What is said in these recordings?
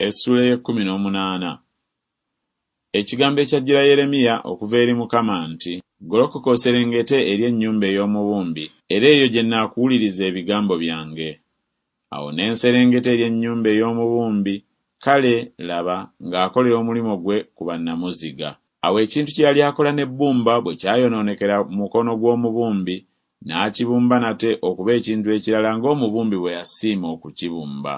Essuula ey'ekkumi n'omunaana. Ekigambo ekyajjira Yeremiya okuva eri Mukama nti, Golokoka oserengete eri ennyumba ey'omubumbi, era eyo gye nnaakuwuliriza ebigambo byange. Awo ne nserengeta eri ennyumba ey'omubumbi, kale, laba, ng'akolera omulimu gwe ku bannamuziga. Awo ekintu kye yali akola n'ebbumba bwe kyayonoonekera mu mukono gw'omubumbi, n'akibumba nate okuba ekintu ekirala ng'omubumbi bwe yasiima okukibumba.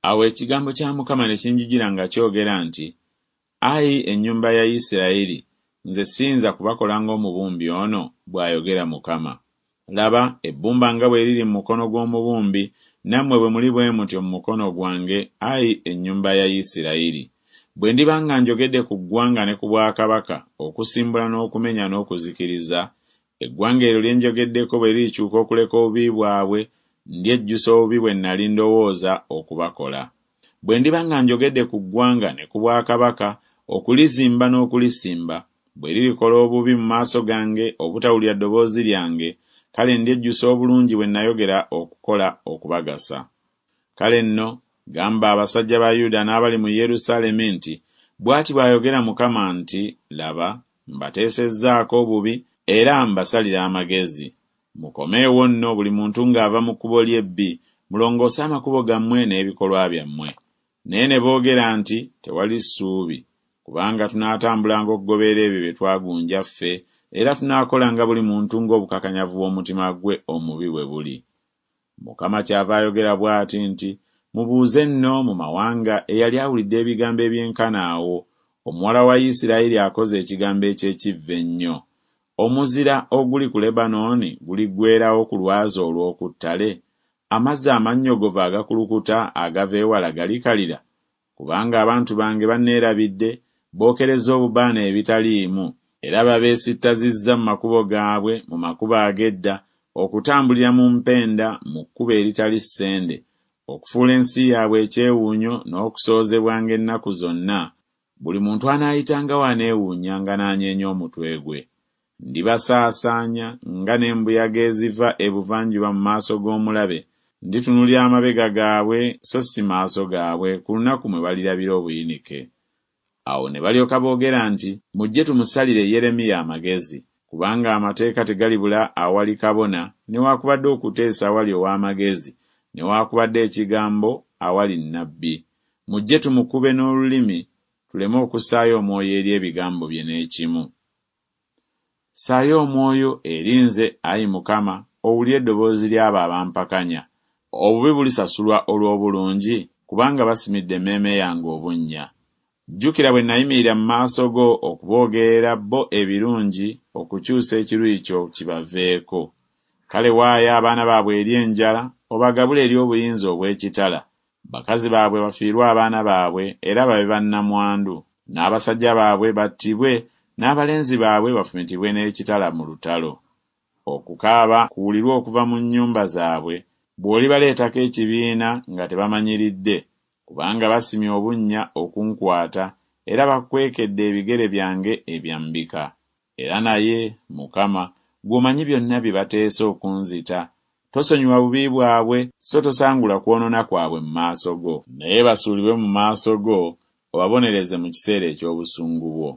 Awo ekigambo kya Mukama ne kinjijira nga kyogera nti Ai ennyumba ya Isirayiri, nze siyinza kubakola ng'omubumbi ono? bw'ayogera Mukama. Laba, ebbumba nga bwe liri mu mukono gw'omubumbi, nammwe bwe muli bwe mutyo mu mukono gwange, ai ennyumba ya Isirayiri. Bwe ndiba nga njogedde ku ggwanga ne ku bwakabaka, okusimbula n'okumenya n'okuzikiriza, eggwanga eryo lye njogeddeko bwe lirikyuka okuleka obubi bwabwe, ndyejjusa obubi bwe nnali ndowooza okubakola. Bwe ndiba nga njogedde ku ggwanga ne ku bwakabaka, okulizimba n'okulisimba, bwe lirikola obubi mu maaso gange obutawulira ddoboozi lyange, kale ndyejjusa obulungi bwe nayogera okukola okubagasa. Kale nno, gamba abasajja ba Yuda n'abali mu Yerusaalemi nti Bw'ati bw'ayogera Mukama nti Laba, mbateesezzaako obubi era mbasalira amagezi. Mukomeewo nno buli muntu ng'ava mu kkubo lye ebbi, mulongoose amakubo gammwe n'ebikolwa byammwe. Naye ne boogera nti Tewali ssuubi, kubanga tunaatambulanga okugoberera ebyo bye twagunja ffe, era tunaakolanga buli muntu ng'obukakanyavu bw'omutima gwe omubi bwe buli. Mukama kyava ayogera bw'ati nti Mubuuze nno mu mawanga eyali awulidde ebigambo ebyenkana awo, omuwala wa Isiraeri akoze ekigambo eky'ekivve ennyo. Omuzira oguli ku Lebanooni guliggweerawo ku lwazi olw'oku ttale? Amazzi amannyogovu agakulukuta agava ewala galikalira? Kubanga abantu bange banneerabidde, bookerezza obubaane ebitaliimu, era babeesittazizza mu makubo gaabwe, mu makubo ag'edda, okutambulira mu mpenda mu kkubo eritali ssende, okufuula ensi yaabwe ekyewuunyo n'okusoozebwanga ennaku zonna, buli muntu anaayitangawo aneewuunyanga n'anyeenya omutwe gwe. Ndibasaasaanya nga n'embuyaga eziva ebuvanjuba mu maaso g'omulabe, nditunuulira amabega gaabwe so si maaso gaabwe ku lunaku mwe balirabira obuyinike. Awo ne balyoka boogera nti Mujje tumusalire Yeremiya amagezi, kubanga amateeka tegalibula awali kabona newakubadde okuteesa awali ow'amagezi newakubadde ekigambo awali nnabbi. Mujje tumukube n'olulimi, tuleme okussaayo omwoyo eri ebigambo bye n'ekimu. Ssaayo omwoyo eri nze, ayi Mukama, owulire eddoboozi ly'abo abampakanya. Obubi bulisasulwa olw'obulungi? Kubanga basimidde emmeeme yange obunnya. Jjukira bwe nayimirira mu maaso go okuboogerera bo ebirungi, okukyusa ekiruyi kyo kibaveeko. Kale waayo abaana baabwe eri enjala, obagabule eri obuyinza obw'ekitala, Bakazi baabwe bafiirwe abaana baabwe era babe bannamwandu, n'abasajja baabwe battibwe n'abalenzi baabwe bafumitibwe n'ekitala mu lutalo. Okukaaba kuwulirwe okuva mu nnyumba zaabwe, bw'olibaleetako ekibiina nga tebamanyiridde, kubanga basimye obunnya okunkwata era bakwekedde ebigere byange ebyambika. Era naye, Mukama, ggwe omanyi byonna bye bateesa okunzita, tosonyiwa bubi bwabwe, so tosangula kwonoona kwabwe mu maaso go. Naye basuulibwe mu maaso go, obabonereze mu kiseera eky'obusungu bwo.